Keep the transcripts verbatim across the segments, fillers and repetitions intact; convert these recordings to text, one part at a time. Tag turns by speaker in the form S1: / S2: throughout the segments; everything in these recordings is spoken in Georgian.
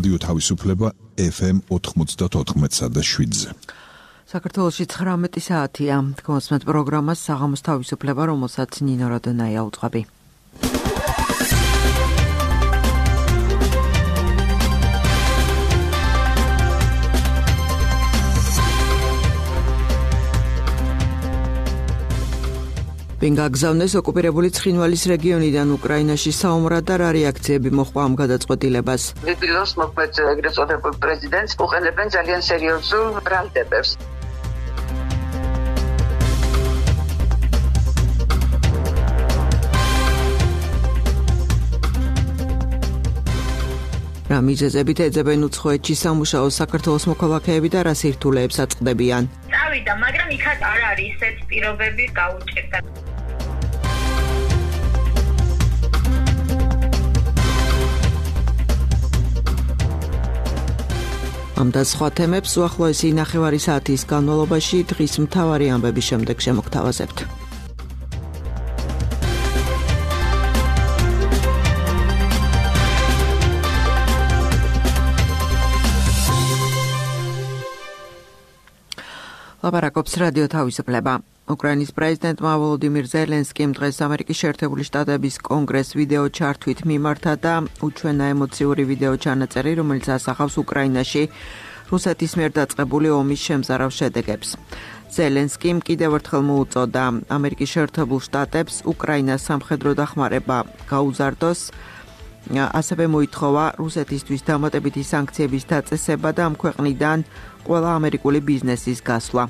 S1: რადიო თავისუფლება ეფ ემ ოთხმოცდაოთხ და შვიდზე.
S2: საქართველოში ცხრამეტი საათია. გმოსმენთ პროგრამას საღამოს თავისუფლება, რომელსაც ნინო როდონაია უძღვები. ვინ გაგზავნეს ოკუპირებული ცხინვალის რეგიონიდან უკრაინაში საომრად და რა რეაქციები მოჰყვა ამ გადაწყვეტილებას?
S3: ვიდილოს მოქმედ ეგრეთ წოდებულ პრეზიდენტს უყენებენ ძალიან სერიოზულ ბრალდებებს.
S2: რა მიზეზებით ეძებენ უცხოეთში სამუშაო საქართველოს მოქალაქეები და რა სირთულეებს აწყდებიან?
S4: წავიდა, მაგრამ იქაც არ არის ისეთ პირობები გაუჭირდა. ამ და სხვა თემებს უახლოესი ნახევარი საათის განმავლობაში დღის მთავარი ამბების შემდეგ შემოგთავაზებთ. ლაპარაკობს რადიო თავისუფლება. უკრაინის პრეზიდენტმა ვოლოდიმირ ზელენსკიმ დღეს ამერიკის შეერთებული შტატების კონგრესს ვიდეო ჩართვით მიმართა და უჩვენა ემოციური ვიდეო ჩანაწერი, რომელიც ასახავს უკრაინაში რუსეთის მიერ დაწყებული ომის შემზარავ შედეგებს. ზელენსკიმ კიდევ ერთხელ მოუწოდა ამერიკის შეერთებულ შტატებს უკრაინას სამხედრო დახმარება გაუზარდოს, ასევე მოითხოვა რუსეთისთვის დამატებითი სანქციების დაწესება და ამ ქვეყნიდან ყველა ამერიკული ბიზნესის გასვლა.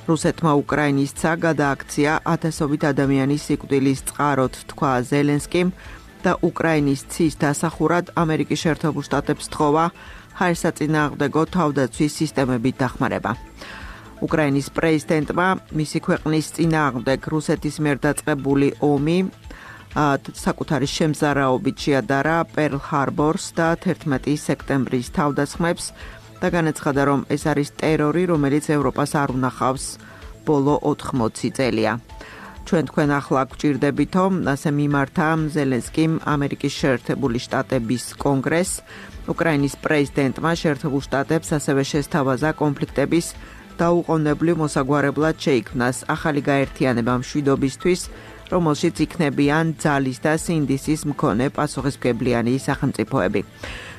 S4: რუსეთმა უკრაინისცა გადააქცია ათასობით ადამიანის სიკვდილის წყაროდ, თქვა ზელენსკიმ და უკრაინის ცის დასახურად ამერიკის შეერთებულ შტატებს თხოვა ჰაერსაწინააღმდეგო თავდაცვის სისტემებით დახმარება. უკრაინის პრეზიდენტმა მისი ქვეყნის წინააღმდეგ რუსეთის მიერ დაწყებული ომი საკუთარი შემზარაობით შეადარა პერლ ჰარბორს და თერთმეტი სექტემბრის თავდასხმებს და განაცხადა, რომ ეს არის ტერორი, რომელიც ევროპას არ უნახავს ბოლო ოთხმოცი წელია. ჩვენ თქვენ ახლა გვჭირდებითო, ასე მიმართა ზელენსკიმ ამერიკის შეერთებული შტატების კონგრესს. უკრაინის პრეზიდენტმა შეერთებულ შტატებს ასევე შესთავაზა კონფლიქტების დაუყოვნებლივ მოსაგვარებლად შეიქმნას ახალი გაერთიანება მშვიდობისთვის, რომელშიც იქნებიან ძალის და სინდისის მქონე პასუხისმგებლიანი სახელმწიფოები.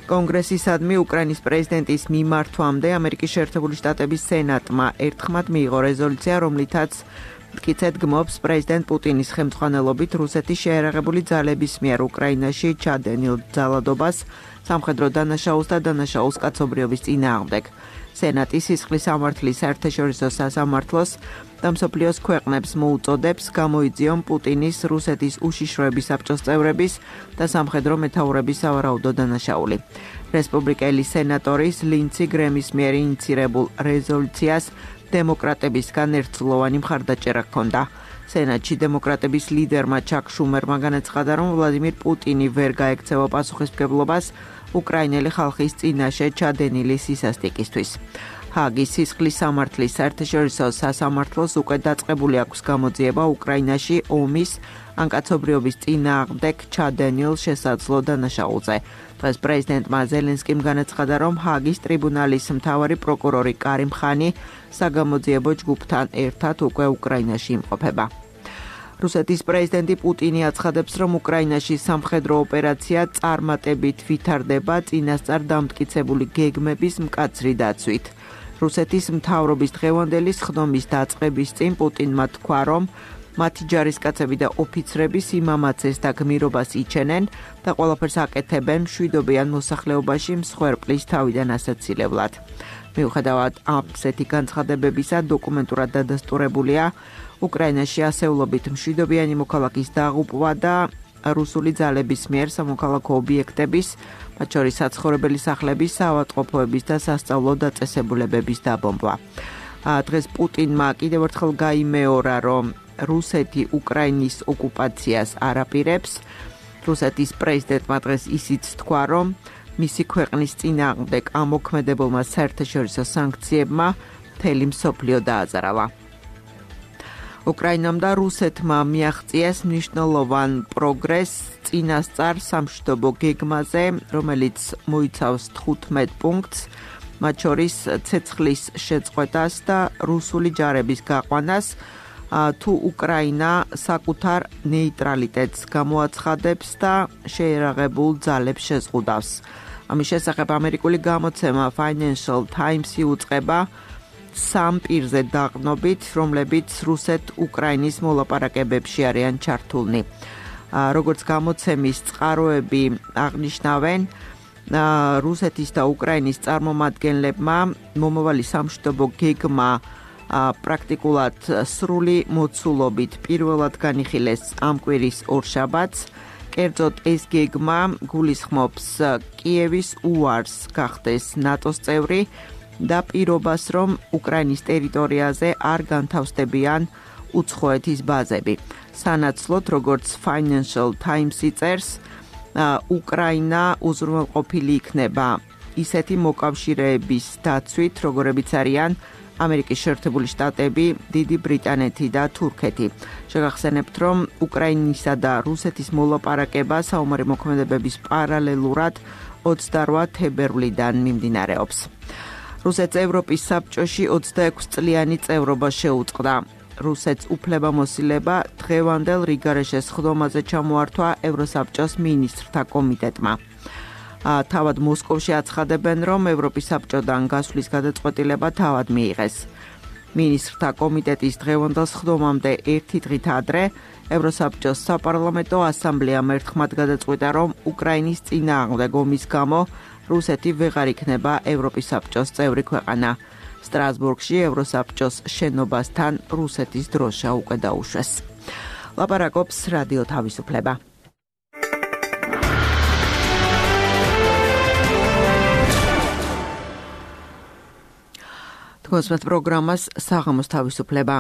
S4: კონგრესისადმი უკრაინის პრეზიდენტის მიმართვამდე ამერიკის შეერთებული შტატების სენატმა ერთხმად მიიღო რეზოლუცია, რომლითაც მტკიცედ გმობს პრეზიდენტ პუტინის ხელმძღვანელობით რუსეთის შეიარაღებული ძალების მიერ უკრაინაში ჩადენილ ძალადობას, სამხედრო დანაშაულს და დანაშაულს კაცობრიობის წინააღმდეგ. სენატი სისხლის სამართლის საერთაშორისო სასამართლოს და მსოფლიოს ქვეყნებს მოუწოდებს გამოიძიონ პუტინის რუსეთის უშიშროების საბჭოს წევრების და სამხედრო მეთაურების სავარაუდო დანაშაული. რესპუბლიკელი სენატორის ლინცი გრემის მიერ ინიცირებულ რეზოლუციას დემოკრატებისგან ერთწლოვანი მხარდაჭერა ჰქონდა. სენატში დემოკრატების ლიდერმა ჩაკ შუმერმა განაცხადა, რომ ვლადიმირ პუტინი ვერ გაექცევა პასუხისმგებლობას უკრაინელი ხალხის წინაშე ჩადენილი სისასტიკისთვის. ჰაგის სისხლის სამართლის საერთაშორისო სასამართლოს უკვე დაწყებული აქვს გამოძიება უკრაინაში ომის ან კაცობრიობის წინააღმდეგ ჩადენილ შესაძლო დანაშაულზე. დღეს პრეზიდენტმა ზელენსკიმ განაცხადა, რომ ჰაგის ტრიბუნალის მთავარი პროკურორი კარიმ ხანი საგამოძიებო ჯგუფთან ერთად უკვე უკრაინაში იმყოფება. რუსეთის პრეზიდენტი პუტინი აცხადებს, რომ უკრაინაში სამხედრო ოპერაცია წარმატებით ვითარდება წინასწარ დამტკიცებული გეგმების მკაცრი დაცვით. რუსეთის მთავრობის დღევანდელი სხდომის დაწყების წინ პუტინმა თქვა, რომ მათი ჯარისკაცები და ოფიცრები სიმამაცეს და გმირობას იჩენენ და ყველაფერს აკეთებენ მშვიდობიან მოსახლეობაში მსხვერპლის თავიდან ასაცილებლად. მიუხედავად ასეთი განცხადებებისა, დოკუმენტურად დადასტურებულია უკრაინაში ასეულობით მშვიდობიანი მოქალაქის დაღუპვა და რუსული ძალების მიერ სამოქალაქო ობიექტების, მათ შორის საცხოვრებელი სახლების, საავადმყოფოების და სასწავლო დაწესებულებების დაბომბვა. დღეს პუტინმა კიდევ ერთხელ გაიმეორა, რომ რუსეთი უკრაინის ოკუპაციას არ აპირებს. რუსეთის პრეზიდენტმა დღეს ისიც თქვა, რომ მისი ქვეყნის წინააღმდეგ ამოქმედებელმა საერთაშორისო სანქციებმა მთელი მსოფლიო დააზარალა. უკრაინამ და რუსეთმა მიაღწიეს მნიშვნელოვან პროგრესს
S2: წინასწარ სამშვიდობო გეგმაზე, რომელიც მოიცავს თხუთმეტ პუნქტს, მათ შორის ცეცხლის შეწყვეტას და რუსული ჯარების გაყვანას, თუ უკრაინა საკუთარ ნეიტრალიტეტს გამოაცხადებს და შეერაღებულ ძალებს შეზღუდავს. ამის შესახებ ამერიკული გამოცემა Financial Times-ი უწყება სამ პირზე დაყრდნობით, რომლებიც რუსეთ-უკრაინის მოლაპარაკებებში არიან ჩართულნი. როგორც გამოცემის წყაროები აღნიშნავენ, რუსეთის და უკრაინის წარმომადგენლებმა მომავალი სამშვიდობო გეგმა პრაქტიკულად სრული მოცულობით პირველად განიხილეს ამ კვირის ორშაბათს. კერძოდ ეს გეგმა გულისხმობს კიევის უარს გახდეს ნატოს წევრი და პირობას, რომ უკრაინის ტერიტორიაზე არ განთავსდებიან უცხოეთის ბაზები. სანაცვლოდ, როგორც Financial Times-ი წერს, უკრაინა უზრუნველყოფილი იქნება ისეთი მოკავშირეების დაცვით, როგორებიც არიან ამერიკის შეერთებული შტატები, დიდი ბრიტანეთი და თურქეთი. შეგახსენებთ, რომ უკრაინისა და რუსეთის მოლაპარაკება საომარი მოქმედებების პარალელურად ოცდაორ თებერვლიდან მიმდინარეობს. რუსეთს ევროპის საბჭოში ოცდაექვსი წლიანი წევრობა შეუწყდა. რუსეთს უფლებამოსილება დღევანდელ რიგარეშეს ხდომაზე ჩამოართვა ევროსაბჭოს მინისტრთა კომიტეტმა. თავად მოსკოვში აცხადებენ, რომ ევროპის საბჭოდან გასვლის გადაწყვეტილება თავად მიიღეს. მინისტრთა კომიტეტის დღევანდელ ხდომამდე ერთი დღით ადრე ევროსაბჭოს საპარლამენტო ასამბლეამ ერთხმად გადაწყვიტა, რომ უკრაინის წინააღმდეგ ომის გამო რუსეთი ვეღარ იქნება ევროპის საბჭოს წევრი ქვეყანა. სტრასბურგში ევროსაბჭოს შენობასთან რუსეთის დროშა უკვე დაუშვეს. ლაპარაკობს რადიო თავისუფლება. თქვენს პროგრამას საღამოს თავისუფლება.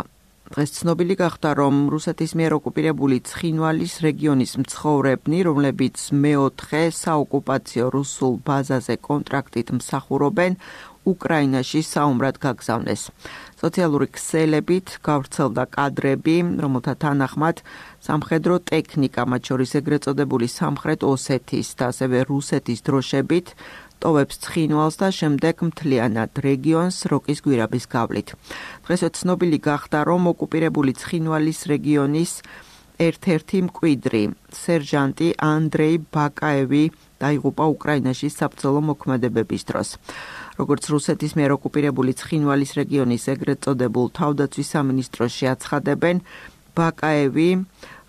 S2: დღეს ცნობილი გახდა, რომ რუსეთის მიერ ოკუპირებული ცხინვალის რეგიონის მცხოვრებნი, რომლებიც მეოთხე საოკუპაციო რუსულ ბაზაზე კონტრაქტით მსახურობენ, უკრაინაში საომრად გაგზავნეს. სოციალური ქსელებით გავრცელდა კადრები, რომელთა თანახმად სამხედრო ტექნიკა, მათ შორის ეგრეთ წოდებული სამხრეთ ოსეთის და ასევე რუსეთის დროშებით ტოვებს ცხინვალს და შემდეგ მთლიანად რეგიონს როკის გვირაბის გავლით. დღეს ცნობილი გახდა, რომ ოკუპირებული ცხინვალის რეგიონის ერთ-ერთი მკვიდრი, სერჟანტი ანდრეი ბაკაევი დაიღუპა უკრაინაში საბრძოლო მოქმედებების დროს. როგორც რუსეთის მიერ ოკუპირებული ცხინვალის რეგიონის ეგრეთ წოდებულ თავდაცვის სამინისტროში აცხადებენ, ბაკაევი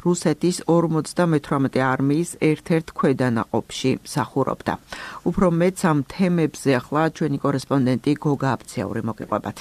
S2: რუსეთის ორმოცდამეთვრამეტე არმიის ერთ-ერთ ქვედანაყოფში მსახურობდა. უფრო მეც ამ თემებზე ახლა ჩვენი კორესპონდენტი გოგა აბციაური მოგიყვებათ.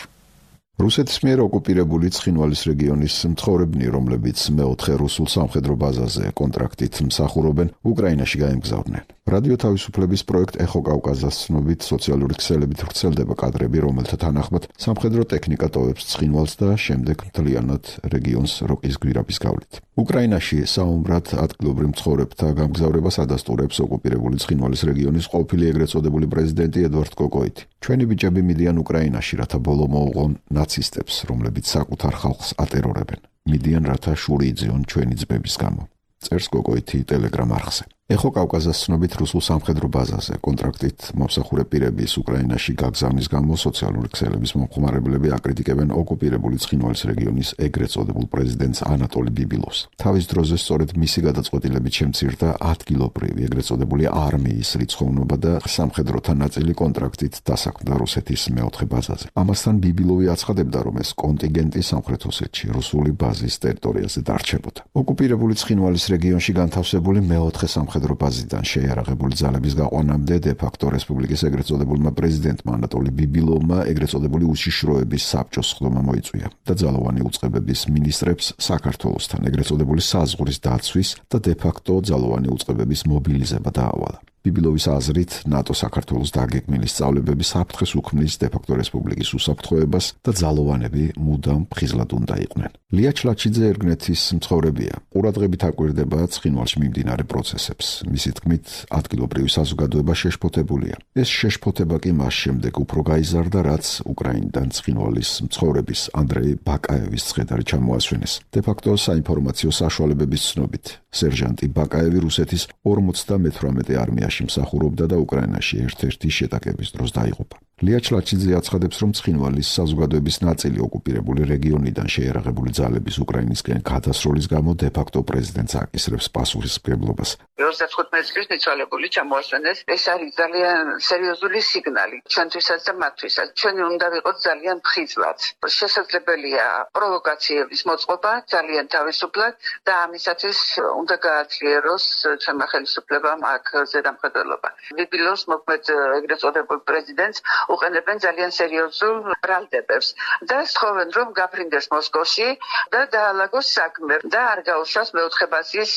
S1: რუსეთის მიერ ოკუპირებული ცხინვალის რეგიონის მცხოვრებნი, რომლებიც მეოთხე რუსულ სამხედრო ბაზაზე კონტრაქტით მსახურობენ, უკრაინაში გაემგზავრნენ. რადიო თავისუფლების პროექტ ეხო კავკასიას ცნობით სოციალური ქსელებით ვრცელდება კადრები, რომელთა თანახმად სამხედრო ტექნიკა ტოვებს ცხინვალს და შემდეგ მთლიანად რეგიონს როკის გვირაბის გავლით. უკრაინაში საომრად ადგილობრივ მცხოვრებთა გამგზავრებას ადასტურებს ოკუპირებული ცხინვალის რეგიონის ყოფილი ეგრეთ წოდებული პრეზიდენტი ედვარდ კოკოიტი. ჩვენი ბიჭები მიდიან უკრაინაში, რათა ბოლო მოუღონ ნაცისტებს, რომლებიც საკუთარ ხალხს ატერორებენ. მიდიან, რათა შური იძიონ ჩვენი ძმების გამო. წერს კოკოიტი ტელეგრამ არხზე. ეხო კავკასიას ცნობით რუსულ სამხედრო ბაზაზე კონტრაქტით მომსახურე პირების უკრაინაში გაგზავნის გამო სოციალური ქსელების მომხმარებლები აკრიტიკებენ ოკუპირებული ცხინვალის რეგიონის ეგრეთ წოდებულ პრეზიდენტს ანატოლი ბიბილოვს. თავის დროზე სწორედ მისი გადაწყვეტილებით შემცირდა ადგილობრივი ეგრეთ წოდებული არმიის რიცხოვნობა და სამხედროთა ნაწილი კონტრაქტით დასაქმდა რუსეთის მეოთხე ბაზაზე. ამასთან ბიბილოვი აცხადებდა, რომ ეს კონტინგენტი სამხრეთ ოსეთში რუსული ბაზის ტერიტორიაზე დარჩებოდა. ოკუპირებული ცხინვალის რეგიონში განთავსებული მეოთხე სამხედრო ბაზიდან შეიარაღებული ძალების გაყვანამდე დე-ფაქტო რესპუბლიკის ეგრეთ წოდებულმა პრეზიდენტმა ანატოლი ბიბილოვმა ეგრეთ წოდებული უშიშროების საბჭოს ხდომა მოიწვია და ძალოვანი უწყებების მინისტრებს საქართველოსთან ეგრეთ წოდებული საზღვრის დაცვის და დე-ფაქტო ძალოვანი უწყებების მობილიზება დაავალა. ბიბილოვის აზრით, ნატო საქართველოს დაგეგმილი სწავლებები საფრთხეს უქმნის დე-ფაქტო რესპუბლიკის უსაფრთხოებას და ძალოვანები მუდამ ფხიზლად უნდა იყვნენ. ლია ჩლაჩიძე ერგნეთის მცხოვრებია. ყურადღებით აკვირდება ცხინვალში მიმდინარე პროცესებს. მისი თქმით, ადგილობრივი საზოგადოება შეშფოთებულია. ეს შეშფოთება კი მას შემდეგ უფრო გაიზარდა, რაც უკრაინიდან ცხინვალის მცხოვრების ანდრეი ბაკაევის ცხედარი ჩამოასვენეს. დე-ფაქტო საინფორმაციო საშუალებების ცნობით, სერჟანტი ბაკაევი რუსეთის ორმოცდამეთვრამეტე არმიაში მსახურობდა და უკრაინაში ერთ-ერთი შეტაკების დროს დაიღუპა. ლია ჩლაჩიძე აცხადებს, რომ ცხინვალის საზოგადოების ნაწილი ოკუპირებული რეგიონიდან შეიარაღებული ძალების უკრაინისკენ გადასროლის გამო დე-ფაქტო პრეზიდენტს აკისრებს პასუხისმგებლობას.
S3: ოცდათხუთმეტი წლის მიცვალებული ჩამოასვენეს. ეს არის ძალიან სერიოზული სიგნალი ჩვენთვისაც და მათთვისაც. ჩვენ უნდა ვიყოთ ძალიან ფხიზლად. შესაძლებელია პროვოკაციების მოწყობა ძალიან თავისუფლად და ამისათვის უნდა გააძლიეროს ჩვენმა ხელისუფლებამ აქ ზედამხედველობა. ბიბილოს მოქმედ ეგრეთ წოდებულ პრეზიდენტს უყენებენ ძალიან სერიოზულ ბრალდებებს და სთხოვენ, რომ გაფრინდეს მოსკოვში და დაალაგოს საქმე და არ გაუშვას მეოთხე ბაზის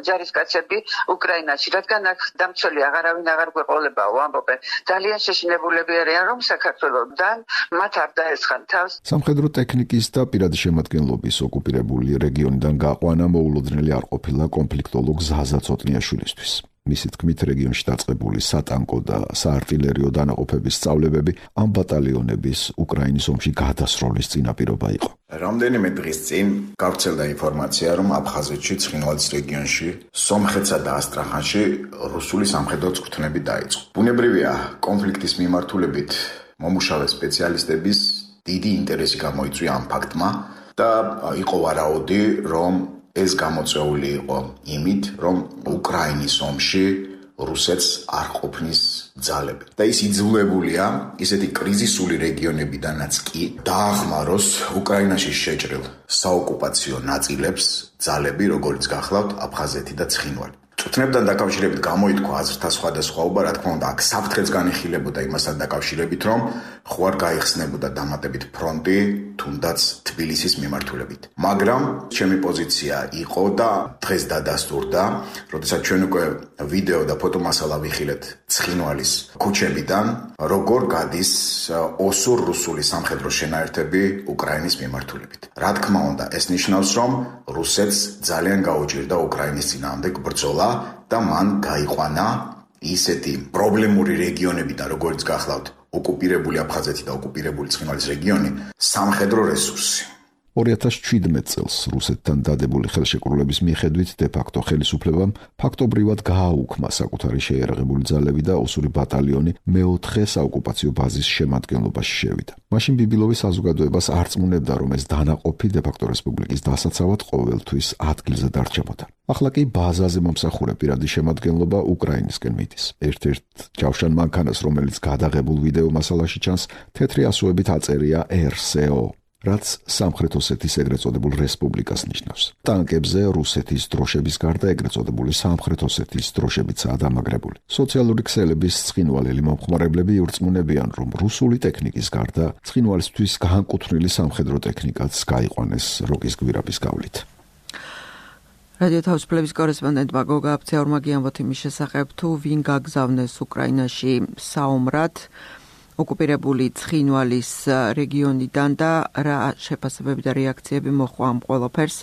S3: ჯარისკაცები უკრაინაში, რადგან აქ დამცველი აღარავინ აღარ გვეყოლებაო, ამბობენ. ძალიან შეშინებულები არიან, რომ საქართველოსთან მათ არ დაესხან თავს.
S1: სამხედრო ტექნიკის და პირადი შემადგენლობის ოკუპირებული რეგიონიდან გაყვანა მოულოდნელი არ ყოფილა კონფლიქტოლოგ ზაზა ცოტნიაშვილისთვის. მისი თქმით, რეგიონში დაწყებული სატანკო და საარტილერიო დანაყოფების სწავლებები ამ ბატალიონების უკრაინის ომში გადასროლის წინაპირობა იყო.
S5: რამდენიმე დღის წინ გავრცელდა ინფორმაცია, რომ აფხაზეთში ცხინვალის რეგიონში, სომხეთსა და ასტრახანში რუსული სამხედრო წვრთნები დაიწყო. ბუნებრივია, კონფლიქტის მიმართულებით მომუშავე სპეციალისტების დიდი ინტერესი გამოიწვია ამ ფაქტმა და იყო ვარაუდი, რომ ეს გამოწვეული იყო იმით, რომ უკრაინის ომში რუსეთს არ ყოფნის ძალები. და ის იძულებულია ისეთი კრიზისული რეგიონებიდანაც კი დაახმაროს უკრაინაში შეჭრილ საოკუპაციო ნაწილებს ძალები, როგორც გახლავთ აფხაზეთი და ცხინვალი. წვრთნებთან დაკავშირებით გამოითქვა აზრთა სხვადასხვაობა, რა თქმა უნდა, აქ საფრთხეც განიხილებოდა იმასთან დაკავშირებით, რომ ხო არ გაიხსნებოდა დამატებით ფრონტი, თუნდაც თბილისის მიმართულებით. მაგრამ ჩემი პოზიცია იყო და დღეს დადასტურდა, როდესაც ჩვენ უკვე ვიდეო და ფოტომასალა ვიხილეთ ცხინვალის ქუჩებიდან, როგორ გადის ოსურ-რუსული სამხედრო შენაერთები უკრაინის მიმართულებით. რა თქმა უნდა, ეს ნიშნავს, რომ რუსეთს ძალიან გაუჭირდა უკრაინის წინააღმდეგ ბრძოლა და მან გაიყვანა ისეთი პრობლემური რეგიონებიდან, როგორც გახლავთ ოკუპირებული აფხაზეთი და ოკუპირებული ცხინვალის რეგიონი, სამხედრო რესურსი.
S1: ორი ათას ჩვიდმეტ წელს რუსეთთან დადებული ხელშეკრულების მიხედვით დე-ფაქტო ხელისუფლებამ ფაქტობრივად გააუქმა საკუთარი შეიარაღებული ძალები და ოსური ბატალიონი მეოთხე საოკუპაციო ბაზის შემადგენლობაში შევიდა. მაშინ ბიბილოვის საზოგადოებას არ წმუნებდა, რომ ეს დანაყოფი დე-ფაქტო რესპუბლიკის დასაცავად ყოველთვის ადგილზე დარჩებოდა. ახლა კი ბაზაზე მომსახურე პირადი შემადგენლობა უკრაინისკენ მიდის. ერთ-ერთ ჯავშან მანქანას, რომელიც გადაღებულ ვიდეო მასალაში ჩანს, თეთრი ასოებით აწერია ერ სე ო. რაც სამხრეთ ოსეთის ეგრეთ წოდებულ რესპუბლიკას ნიშნავს. ტანკებზე რუსეთის დროშების გარდა ეგრეთ წოდებული სამხრეთ ოსეთის დროშებიცაა დამაგრებული. სოციალური ქსელების ცხინვალელი მომხმარებლები ირწმუნებიან, რომ რუსული ტექნიკის გარდა ცხინვალისთვის განკუთვნილი სამხედრო ტექნიკაც გაიყვანეს როკის გვირაბის გავლით.
S2: რადიო თავისუფლების კორესპონდენტმა გოგა აფცეორმა გიამბოთ იმის შესახებ, თუ ვინ გაგზავნეს უკრაინაში საომრად ოკუპირებული ცხინვალის რეგიონიდან და რა შეფასებები და რეაქციები მოჰყვა ამ ყველაფერს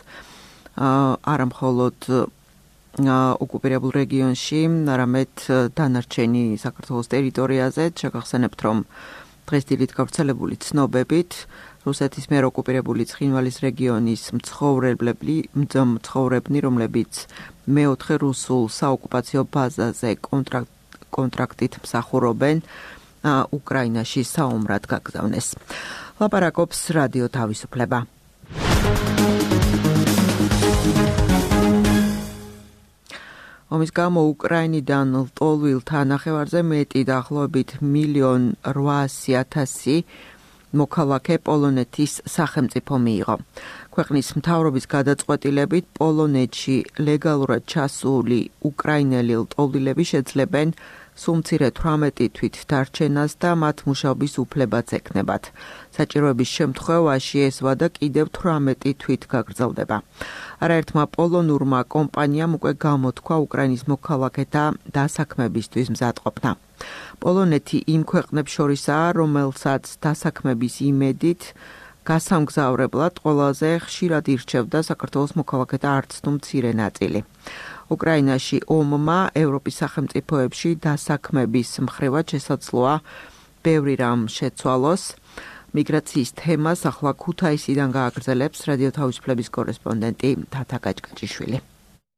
S2: არა მხოლოდ ოკუპირებულ რეგიონში, არამედ დანარჩენი საქართველოს ტერიტორიაზე. შეგახსენებთ, რომ დღეს დილით გავრცელებული ცნობებით რუსეთის მიერ ოკუპირებული ცხინვალის რეგიონის მცხოვრებლები, მცხოვრებნი, რომლებიც მეოთხე რუსულ საოკუპაციო ბაზაზე კონტრაქტით მსახურობენ, უკრაინაში საომრად გაგზავნეს. ლაპარაკობს რადიო თავისუფლება. ომის გამო უკრაინიდან ლტოლვილ თანახევარზე მეტი დაახლოებით მილიონ რვაასი ათასი მოქალაქე პოლონეთის სახელმწიფო მიიღო. ქვეყნის მთავრობის გადაწყვეტილებით პოლონეთში ლეგალურად ჩასული უკრაინელი ლტოლვილები შეძლებენ სულ მცირე თვრამეტი თვით დარჩენას და მათ მუშაობის უფლებაც ექნებათ. საჭიროების შემთხვევაში ეს ვადა კიდევ თვრამეტი თვით გაგრძელდება. არაერთმა პოლონურმა კომპანიამ უკვე გამოთქვა უკრაინის მოქალაქეთა დასაქმებისთვის მზადყოფნა. პოლონეთი იმ ქვეყნებს შორისაა, რომელსაც დასაქმების იმედით გასამგზავრებლად ყველაზე ხშირად ირჩევდა საქართველოს მოქალაქეთა არც თუ მცირე ნაწილი. უკრაინაში ომმა ევროპის სახელმწიფოებში დასაქმების მხრივად შესაძლოა ბევრი რამ შეცვალოს. მიგრაციის თემას ახლა ქუთაისიდან გააგრძელებს რადიო თავისუფლების კორესპონდენტი თათა გაჭკაჭიშვილი.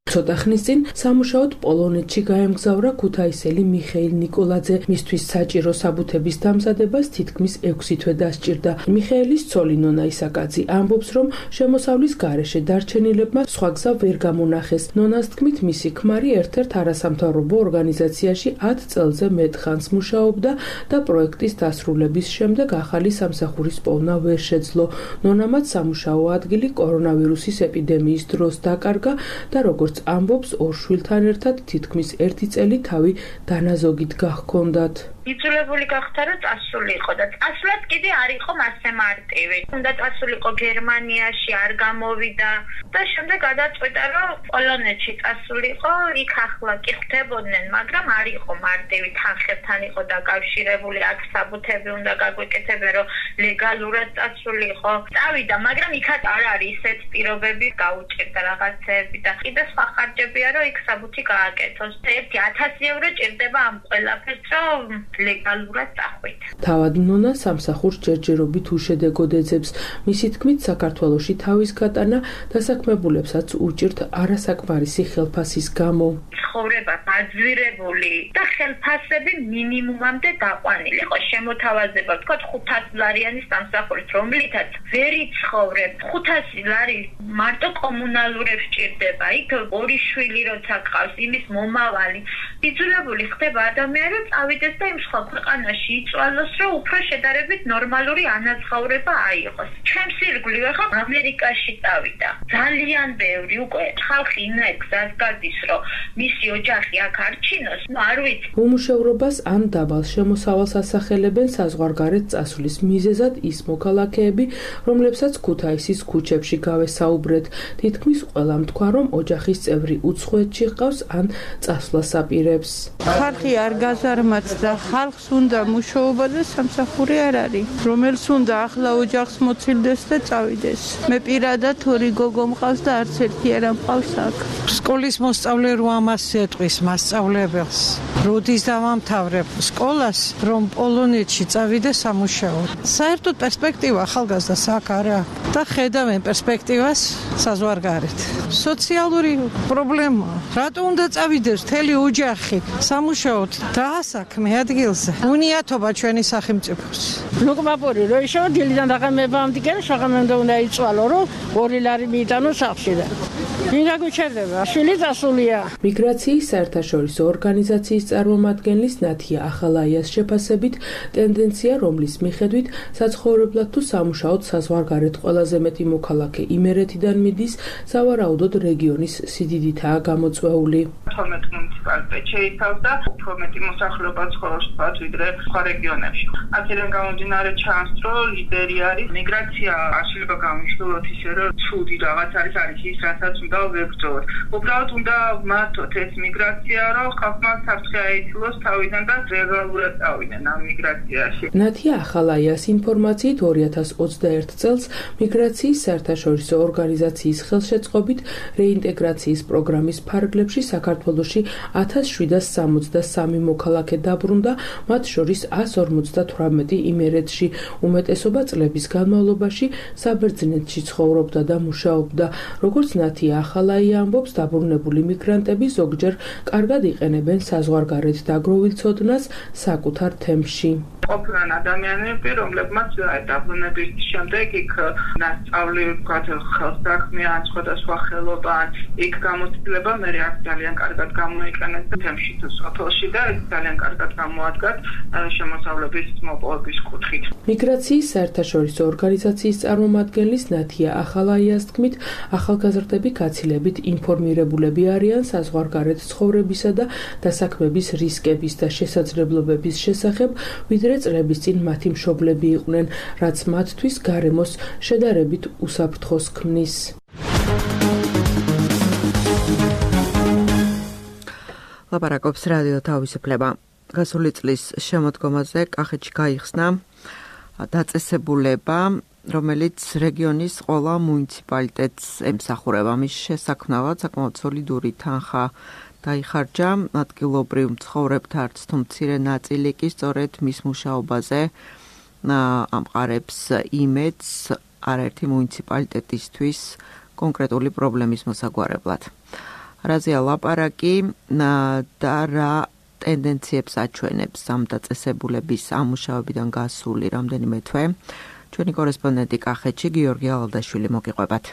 S6: ცოტა ხნის წინ სამუშაოდ პოლონეთში გაემგზავრა ქუთაისელი მიხეილ ნიკოლაძე. მისთვის საჭირო საბუთების დამზადებას თითქმის ექვსი თვე დასჭირდა. მიხეილის ცოლი ნონა ისაკაძე ამბობს, რომ შემოსავლის გარეშე დარჩენილებმა სხვა გზა ვერ გამონახეს. ნონას თქმით, მისი ქმარი ერთ-ერთ არასამთავრობო ორგანიზაციაში ათ წელზე მეტ ხანს მუშაობდა და პროექტის დასრულების შემდეგ ახალი სამსახურის პოვნა ვერ შეძლო. ნონამაც სამუშაო ადგილი კორონავირუსის ეპიდემიის დროს დაკარგა და როგორც ამბობს, ორ შვილთან ერთად თითქმის ერთი წელი თავი დანაზოგით გაჰქონდათ.
S7: იძულებული გახდა, რომ წასულიყო და წასვლაც კიდე არ იყო მასე მარტივი. უნდა წასულიყო გერმანიაში, არ გამოვიდა და შემდეგ გადაწყვიტა, რომ პოლონეთში წასულიყო, იქ ახლა კი ხდებოდნენ, მაგრამ არ იყო მარტივი, თანხებთან იყო დაკავშირებული, აქ საბუთები უნდა გაგვეკეთებინა, რომ ლეგალურად წასულიყო. წავიდა, მაგრამ იქაც არ არის ისეთ პირობები, გაუჭირდა რაღაცეები და კიდე სხვა ხარჯებია, რომ იქ საბუთი გააკეთოს. ერთი ათასი ევრო ჭირდება ამ ყველაფერს, რომ ლეგალურად წახვით.
S6: თავად ნონა სამსახურს ჯერჯერობით უშედეგოდ ეძებს. მისი თქმით, საქართველოში თავის გატანა დასაქმებულებსაც უჭირთ არასაკმარისი ხელფასის გამო.
S7: ცხოვრება გაძვირებული და ხელფასები მინიმუმამდე დაყვანილი. ხო, შემოთავაზება, ვთქვათ, ხუთასი ლარიანის სამსახურით, რომლითაც ვერ იცხოვრებ. ხუთასი ლარი მარტო კომუნალურებს ჭირდება. იქ ორი შვილი როცა ყავს, იმის მომავალი. იძულებული ხდება ადამიანი, რომ წავიდეს და იმ სხვა ქვეყანაში იწვალოს, რომ უფრო შედარებით ნორმალური ანაზღაურება აიღოს. ჩემს ირგვლივ ახლა ამერიკაში წავიდა. ძალიან ბევრი უკვე ხალხი იმას გზას გადის, რომ მისი ოჯახი აქ არჩინოს, ნუ არ ვიცი.
S6: უმუშევრობას ან დაბალ შემოსავალს ასახელებენ საზღვარგარეთ წასვლის მიზეზად ის მოქალაქეები, რომლებსაც ქუთაისის ქუჩებში გავესაუბრეთ. თითქმის ყველამ თქვა, რომ ოჯახის წევრი უცხოეთში ჰყავს ან წასვლას აპირებს.
S8: ხალხი არ გაზარმაც და ხალხს უნდა მუშაობა და სამსახური არ არის, რომელს უნდა ახლა ოჯახს მოცილდეს და წავიდეს. მე პირადად ორი გოგო მყავს და არც ერთი არ მყავს აქ.
S9: სკოლის მოსწავლე რო ამას ეტყვის მასწავლებელს, როდის დავამთავრებ სკოლას, რომ პოლონეთში წავიდე სამუშაოდ. საერთოდ პერსპექტივა ახალგაზრდას აქ არა და ხედავენ პერსპექტივას საზღვარგარეთ. სოციალური პრობლემა. რატო უნდა წავიდეს მთელი ოჯახი სამუშაოდ დაასაქმე ადგილზე? უნიათობა ჩვენი სახელმწიფოს.
S10: ლუკმაპური რო ისო დილიდან დაღამებამდე კი შაღამემდე უნდა იწვალო, რომ ორი ლარი მიიტანო სახლში და ვინ გაგუჩერდება? შვილი დასულია.
S6: მიგრაციის საერთაშორისო ორგანიზაციის წარმომადგენლის ნათია ახალაიას შეფასებით, ტენდენცია, რომლის მიხედვით საცხოვრებლად თუ სამუშაოდ საზღვარგარეთ ყველაზე მეტი მოქალაქე იმერეთიდან მიდის, სავარაუდოდ რეგიონის სიდიდითაა გამოწვეული.
S11: თორმეტ მუნიციპალიტეტს შეიცავს და უფრო მეტი მოსახლეობა ცხოვრობს ვიდრე სხვა რეგიონებში. აქედან გამომდინარე ჩანს, რომ ლიდერი არის მიგრაცია. არ შეიძლება გამიშლოთ ისე, რომ ცუდი რაღაც არის არის ის, რასაც უნდა ვებრძოლოთ. უბრალოდ უნდა მართოთ ეს მიგრაცია, რომ ხალხმა საფრთხე აიცილოს თავიდან და ლეგალურად წავიდნენ ამ მიგრაციაში.
S6: ნათია ახალაიას ინფორმაციით ორი ათას ოცდაერთ წელს მიგრაციის საერთაშორისო ორგანიზაციის ხელშეწყობით რეინტეგრაციის პროგრამის ფარგლებში საქართველოში ათას შვიდას სამოცდასამი მოქალაქე დაბრუნდა, მათ შორის ას ორმოცდათვრამეტი იმერეთში. უმეტესობა წლების განმავლობაში საბერძნეთში ცხოვრობდა და მუშაობდა. როგორც ნათია ახალაია ამბობს, დაბრუნებული მიგრანტები ზოგჯერ კარგად იყენებენ საზღვარგარეთ დაგროვილ ცოდნას საკუთარ თემში.
S11: ყოფილან ადამიანები, რომლებმაც დაბრუნების შემდეგ იქ ნასწავლი ხელსაქმე ან სხვადასხვა ხელობა, იქ გამოცდილება მე აქ ძალიან კარგად გამოიყენა აჩვენეს თემში თუ სოფელში და ძალიან კარგად გამოადგათ შემოსავლების მოპოვების კუთხით.
S6: მიგრაციის საერთაშორისო ორგანიზაციის წარმომადგენლის ნათია ახალაიას თქმით, ახალგაზრდები გაცილებით ინფორმირებულები არიან საზღვარგარეთ ცხოვრებისა და დასაქმების რისკების და შესაძლებლობების შესახებ, ვიდრე წლების წინ მათი მშობლები იყვნენ, რაც მათთვის გარემოს შედარებით უსაფრთხოს ქმნის.
S2: ლაპარაკობს რადიო თავისუფლება. გასული წლის შემოდგომაზე კახეთში გაიხსნა დაწესებულება, რომელიც რეგიონის ყველა მუნიციპალიტეტს ემსახურება. მის შესაქმნავად საკმაოდ სოლიდური თანხა დაიხარჯა ადგილობრივ მცხოვრებთა არც თუ მცირე ნაწილი კი სწორედ მის მუშაობაზე ამყარებს იმედს არაერთი მუნიციპალიტეტისთვის კონკრეტული პრობლემის მოსაგვარებლად. რაზეა ლაპარაკი და რა ტენდენციებს აჩვენებს ამ დაწესებულების ამუშავებიდან გასული რამდენიმე თვე. ჩვენი კორესპონდენტი კახეთში გიორგი ალადაშვილი მოგიყვებათ.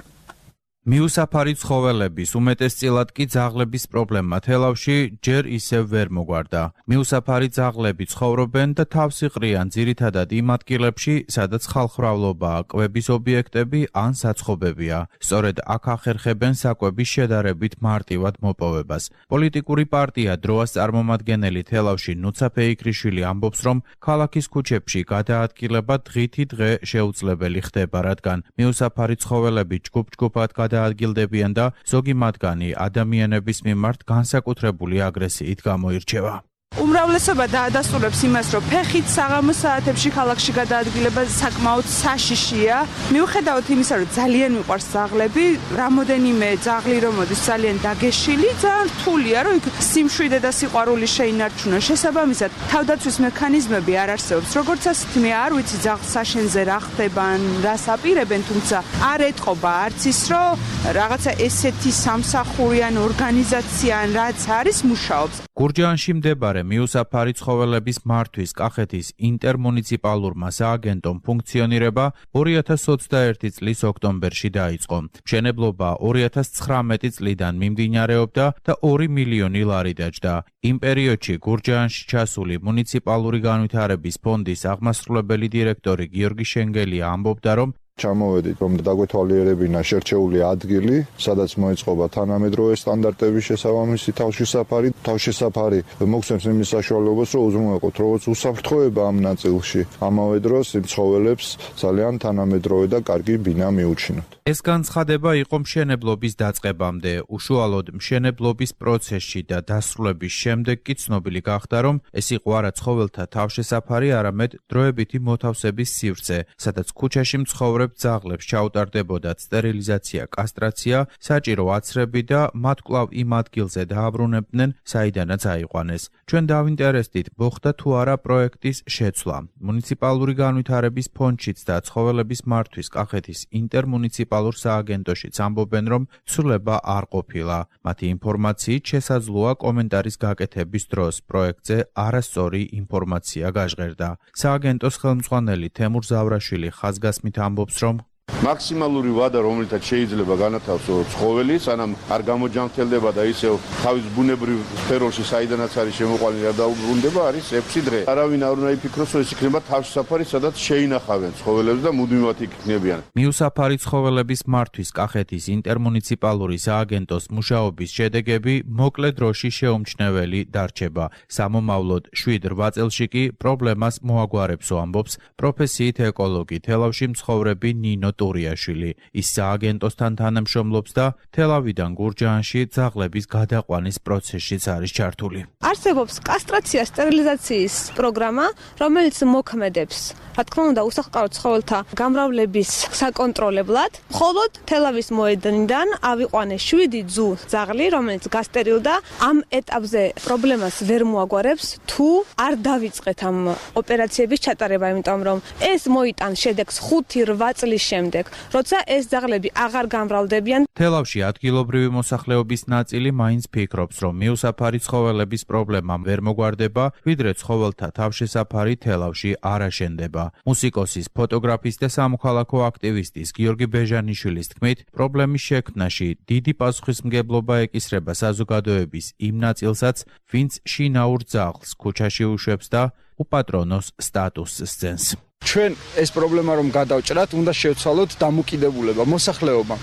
S12: მიუსაფარი ცხოველების, უმეტესწილად კი ძაღლების პრობლემა თელავში ჯერ ისევ ვერ მოგვარდა. მიუსაფარი ძაღლები ცხოვრობენ და თავს იყრიან ძირითადად იმ ადგილებში, სადაც ხალხმრავლობაა, კვების ობიექტები ან საცხობებია. სწორედ აქ ახერხებენ საკვების შედარებით მარტივად მოპოვებას. პოლიტიკური პარტია დროას წარმომადგენელი თელავში ნუცა ფეიქრიშვილი ამბობს, რომ ქალაქის ქუჩებში გადაადგილება დღითი დღე შეუძლებელი ხდება, რადგან მიუსაფარი ცხოველები ჯგუფ-ჯგუფად დაადგილდებიან და ზოგი მათგანი ადამიანების მიმართ განსაკუთრებული აგრესიით გამოირჩევა.
S13: უმრავლესობა დაადასტურებს იმას, რომ ფეხით საღამოს საათებში ქალაქში გადაადგილება საკმაოდ საშიშია. მიუხედავად იმისა, რომ ძალიან მიყვარს ძაღლები, რამოდენიმე ძაღლი რომ მოდის ძალიან დაგეშილი, ძალიან რთულია, რომ იქ სიმშვიდე და სიყვარული შეინარჩუნონ. შესაბამისად, თავდაცვის მექანიზმები არ არსებობს. როგორც ასეთი მე არ ვიცი ძაღლს საშენზე რა ხდება, რას აპირებენ, თუმცა არ ეტყობა არც ის, რომ რაღაცა ესეთი სამსახური ან ორგანიზაცია ან რაც არის მუშაობს.
S12: გურჯაანში მდებარე მიუსაფარი ცხოველების მართვის კახეთის ინტერმუნიციპალურმა სააგენტომ ფუნქციონირება ორი ათას ოცდაერთი წლის ოქტომბერში დაიწყო. მშენებლობა ორი ათას ცხრამეტი წლიდან მიმდინარეობდა და ორი მილიონი ლარი დაჯდა. იმ პერიოდში გურჯაანში ჩასული მუნიციპალური განვითარების ფონდის აღმასრულებელი დირექტორი გიორგი შენგელია ამბობდა, რომ
S14: ჩამოვედით, რომ დაგვეთვალიერებინა შერჩეული ადგილი, სადაც მოეწყობა თანამედროვე სტანდარტების შესაბამისი თავშესაფარი. თავშესაფარი მოგცემს იმის საშუალებას, რომ უზრუნველყოთ როგორც უსაფრთხოება ამ ნაწილში, ამავე დროს იმ ცხოველებს ძალიან თანამედროვე და კარგი ბინა მიუჩინოთ.
S12: ეს განცხადება იყო მშენებლობის დაწყებამდე. უშუალოდ მშენებლობის პროცესში და დასრულების შემდეგ კი ცნობილი გახდა, რომ ეს იყო არა ცხოველთა თავშესაფარი, არამედ დროებითი მოთავსების სივრცე, სადაც ქუჩაში მცხოვრებ ძაღლებს ჩაუტარდებოდათ სტერილიზაცია, კასტრაცია, საჭირო აცრები და მათ კვლავ იმ ადგილზე დააბრუნებდნენ, საიდანაც აიყვანეს. ჩვენ დავინტერესდით, მოხდა თუ არა პროექტის შეცვლა. მუნიციპალური განვითარების ფონდშიც და ცხოველების მართვის კახეთის ინტერმუნიციპალურ სააგენტოშიც ამბობენ, რომ ცვლილება არ ყოფილა. მათი ინფორმაციით შესაძლოა კომენტარის გაკეთების დროს პროექტზე არასწორი ინფორმაცია გაჟღერდა. სააგენტოს ხელმძღვანელი თემურ ზავრაშვილი ხაზგასმით ამბობს, რომ
S15: მაქსიმალური ვადა, რომელთაც შეიძლება განათავსო ცხოველი, სანამ არ გამოჯანმრთელდება და ისევ თავის ბუნებრივ სფეროში, საიდანაც არის შემოყვანილი, არ დაუბრუნდება, არის ექვსი დღე. არავინ არ უნდა იფიქროს, რომ ეს იქნება თავშესაფარი, სადაც შეინახავენ ცხოველებს და მუდმივად იქ იქნებიან.
S12: მიუსაფარი ცხოველების მართვის კახეთის ინტერმუნიციპალური სააგენტოს მუშაობის შედეგები მოკლე დროში შეუმჩნეველი დარჩება. სამომავლოდ შვიდ რვა წელში კი პრობლემას მოაგვარებსო, ამბობს პროფესიით ეკოლოგი თელავში მცხოვრები ნინო ტურიაშვილი. ის სააგენტოსთან თანამშრომლობს და თელავიდან გურჯაანში ძაღლების გადაყვანის პროცესშიც არის ჩართული.
S16: არსებობს კასტრაცია სტერილიზაციის პროგრამა, რომელიც მოქმედებს, რა თქმა უნდა, უსახლკარო ცხოველთა გამრავლების საკონტროლებლად. მხოლოდ თელავის მოედნიდან ავიყვანეს შვიდი ძუ ძაღლი, რომელიც გასტერილდა. ამ ეტაპზე პრობლემას ვერ მოაგვარებს, თუ არ დავიწყეთ ამ ოპერაციების ჩატარება, იმიტომ რომ ეს მოიტან შედეგს ხუთი რვა წლის შემდეგ. შემდეგ, როცა ეს ძაღლები აღარ გამრავლდებიან.
S12: თელავში ადგილობრივი მოსახლეობის ნაწილი მაინც ფიქრობს, რომ მიუსაფარი ცხოველების პრობლემამ ვერ მოგვარდება, ვიდრე ცხოველთა თავშესაფარი თელავში არ აშენდება. მუსიკოსის, ფოტოგრაფის და სამოქალაქო აქტივისტის გიორგი ბეჟანიშვილის თქმით, პრობლემის შექმნაში დიდი პასუხისმგებლობა ეკისრება საზოგადოების იმ ნაწილსაც, ვინც შინაურ ძაღლს ქუჩაში უშვებს და უპატრონოს სტატუსს სცემს.
S17: ჩვენ ეს პრობლემა რომ გადავჭრათ, უნდა შევცვალოთ დამოკიდებულება მოსახლეობამ.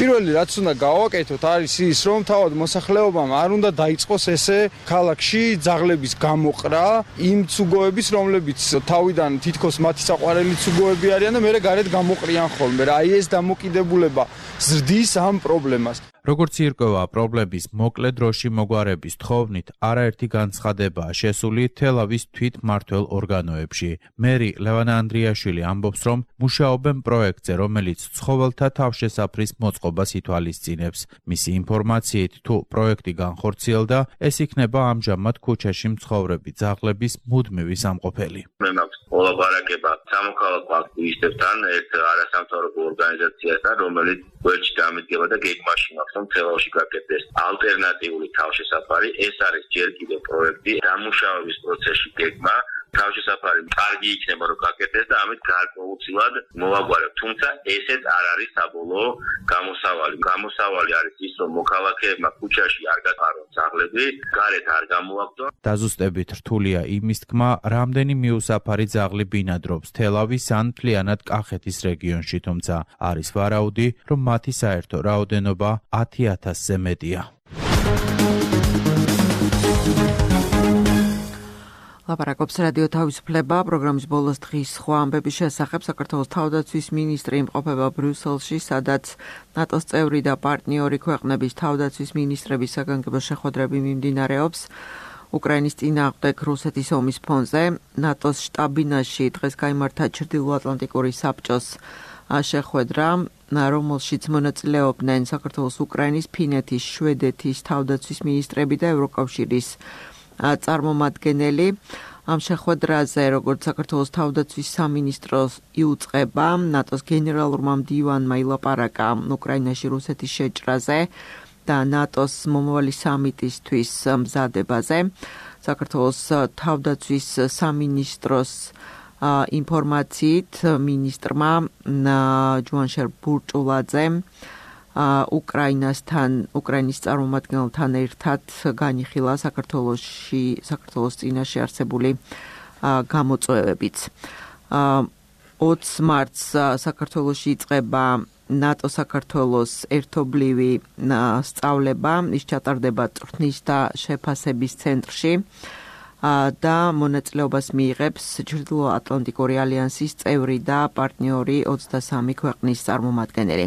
S17: პირველი რაც უნდა გავაკეთოთ არის ის, რომ თავად მოსახლეობამ არ უნდა დაიწყოს ესე ქალაქში ძაღლების გამოყრა იმ ცუგოების, რომლებიც თავიდან თითქოს მათი საყვარელი ცუგოები არიან და მერე გარეთ გამოყრიან ხოლმე. რა, აი ეს დამოკიდებულება ზრდის ამ პრობლემას.
S12: როგორც ირკვევა, პრობლემის მოკლე დროში მოგვარების თხოვნით არაერთი განცხადებაა შესული თელავის თვითმმართველ ორგანოებში. მერი ლევანა ანდრიაშვილი ამბობს, რომ მუშაობენ პროექტზე, რომელიც ცხოველთა თავშესაფრის მოწყობას ითვალისწინებს. მისი ინფორმაციით, თუ პროექტი განხორციელდა, ეს იქნება ამჟამად ქუჩაში მცხოვრები ძაღლების მუდმივი სამყოფელი.
S18: მე მაქვს მოლაპარაკება სამოქალაქო აქტივისტებთან, ერთ არასამთავრობო ორგანიზაციასთან, რომელიც გვერდში დამიდგება და გეგმაში მაქვს, რომ თელავში გაკეთდეს ალტერნატიული თავშესაფარი. ეს არის ჯერ კიდევ პროექტი, დამუშავების პროცესში გეგმა. თავშესაფარი კარგი იქნება რომ გაკეთდეს და ამით გარკვეულწილად მოვაგვარებ. თუმცა ესეც არ არის საბოლოო გამოსავალი. გამოსავალი არის ის, რომ მოქალაქეებმა ქუჩაში არ გატარონ ძაღლები, გარეთ არ გამოაგდონ.
S12: დაზუსტებით რთულია იმის თქმა, რამდენი მიუსაფარი ძაღლი ბინადრობს თელავის ან მთლიანად კახეთის რეგიონში, თუმცა არის ვარაუდი, რომ მათი საერთო რაოდენობა ათი ათასზე მეტია.
S2: ლაპარაკობს რადიო თავისუფლება, პროგრამის ბოლოს დღის სხვა ამბების შესახებ. საქართველოს თავდაცვის მინისტრი იმყოფება ბრიუსელში, სადაც ნატოს წევრი და პარტნიორი ქვეყნების თავდაცვის მინისტრების საგანგებო შეხვედრები მიმდინარეობს. უკრაინის წინააღმდეგ რუსეთის ომის ფონზე ნატოს შტაბ-ბინაში დღეს გაიმართა ჩრდილოატლანტიკური საბჭოს შეხვედრა, რომელშიც მონაწილეობდნენ საქართველოს, უკრაინის, ფინეთის, შვედეთის თავდაცვის მინისტრები და ევროკავშირის წარმომადგენელი. ამ შეხვედრაზე, როგორც საქართველოს თავდაცვის სამინისტროს იუწყება, ნატოს გენერალურმა მდივანმა ილაპარაკა უკრაინაში რუსეთის შეჭრაზე და ნატოს მომავალი სამიტისთვის მზადებაზე. საქართველოს თავდაცვის სამინისტროს ინფორმაციით მინისტრმა ჯუანშერ ბურჭულაძემ უკრაინასთან, უკრაინის წარმომადგენელთან ერთად განიხილა საქართველოში, საქართველოს წინაშე არსებული გამოწვევებიც. ოცი მარტს საქართველოში იწყება ნატო-საქართველოს ერთობლივი სწავლება, ის ჩატარდება წვრთნის და შეფასების ცენტრში და მონაწილეობას მიიღებს ჩრდილოატლანტიკური ალიანსის წევრი და პარტნიორი ოცდასამი ქვეყნის წარმომადგენელი.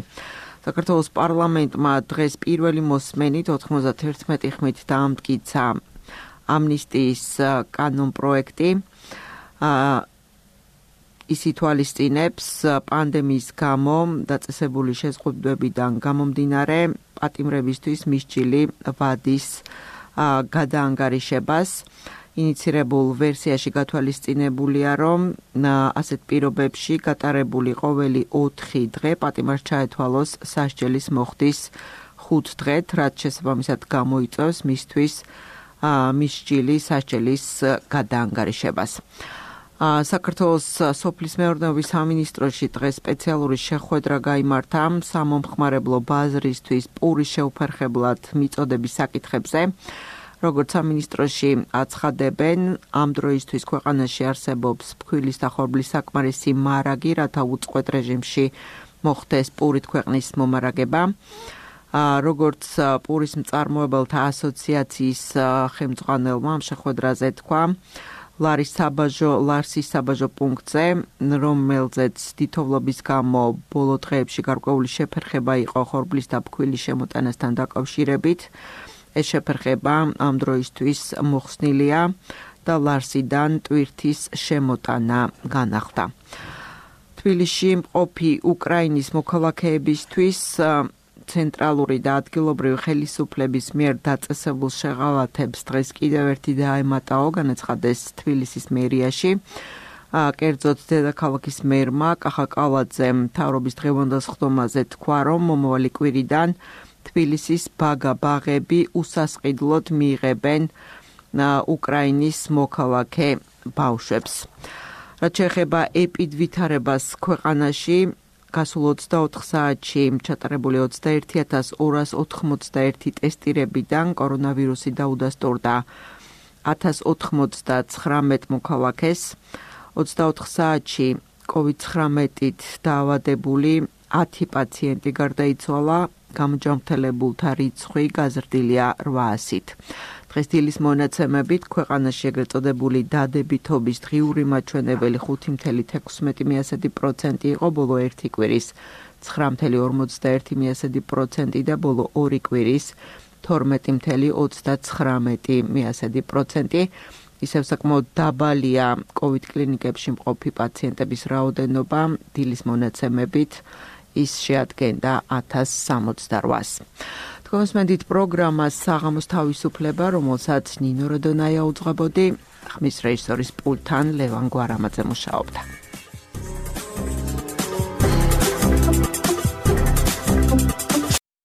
S2: საქართველოს პარლამენტმა დღეს პირველი მოსმენით ოთხმოცდაერთი ხმით დაამტკიცა ამნისტიის კანონპროექტი. ის ითვალისწინებს პანდემიის გამო დაწესებული შეზღუდვებიდან გამომდინარე პატიმრებისთვის მისჯილი ვადის გადაანგარიშებას. ინიცირებულ ვერსიაში გათვალისწინებულია, რომ ასეთ პირობებში გატარებული ყოველი ოთხი დღე პატიმარს ჩაეთვალოს სასჯელის მოხდის ხუთ დღეთ, რაც შესაბამისად გამოიწვევს მისთვის მისჯილი სასჯელის გადაანგარიშებას. საქართველოს სოფლის მეურნეობის სამინისტროში დღეს სპეციალური შეხვედრა გაიმართა სამომხმარებლო ბაზრისთვის პურის შეუფერხებლად მიწოდების საკითხებზე. როგორც სამინისტროში აცხადებენ, ამ დროისთვის ქვეყანაში არსებობს ფქვილის და ხორბლის საკმარისი მარაგი, რათა უწყვეტ რეჟიმში მოხდეს პურით ქვეყნის მომარაგება. როგორც პურის მწარმოებელთა ასოციაციის ხელმძღვანელმა ამ შეხვედრაზე თქვა, ლარის საბაჟო, ლარსის საბაჟო პუნქტზე, რომელზეც თითოვლობის გამო ბოლო დღეებში გარკვეული შეფერხება იყო ხორბლის და ფქვილის შემოტანასთან დაკავშირებით. ეს შეფერხება ამ დროისთვის მოხსნილია და ლარსიდან ტვირთის შემოტანა განახლდა. თბილისში მყოფი უკრაინის მოქალაქეებისთვის ცენტრალური და ადგილობრივი ხელისუფლების მიერ დაწესებულ შეღავათებს დღეს კიდევ ერთი დაემატაო, განაცხადეს თბილისის მერიაში. კერძოდ დედაქალაქის მერმა კახა კალაძემ მთავრობის დღევანდელ ხდომაზე თქვა, რომ მომავალი კვირიდან თბილისის ბაგა ბაღები უსასყიდლოდ მიიღებენ უკრაინის მოქალაქე ბავშვებს. რაც შეეხება ეპიდვითარებას ქვეყანაში, გასულ ოცდაოთხ საათში ჩატარებული ოცდაერთი ათას ორას ოთხმოცდაერთი ტესტირებიდან კორონავირუსი დაუდასტურდა ათას ოთხმოცდაცხრამეტ მოქალაქეს. ოცდაოთხ საათში კოვიდ ცხრამეტით დაავადებული ათი პაციენტი გარდაიცვალა, გამოჯანმრთელებულთა რიცხვი გაზრდილია რვაასით. დღეს დილის მონაცემებით ქვეყანაში ეგრეთ წოდებული დადებითობის დღიური მაჩვენებელი ხუთი მთელი თექვსმეტი პროცენტი იყო ბოლო ერთი კვირის, ცხრა მთელი ორმოცდაერთი პროცენტი და ბოლო ორი კვირის თორმეტი მთელი ოცდაცხრამეტი პროცენტი. ისევ საკმაოდ დაბალია კოვიდ კლინიკებში მყოფი პაციენტების რაოდენობა, დილის მონაცემებით ის შეადგენდა ათას სამოცდარვას. თქვენსმენდით პროგრამას საღამოს თავისუფლება, რომელსაც ნინო როდონაია უძღვებოდი, ხმის რეჟისორის პულტთან ლევან გვარამაძე მუშაობდა.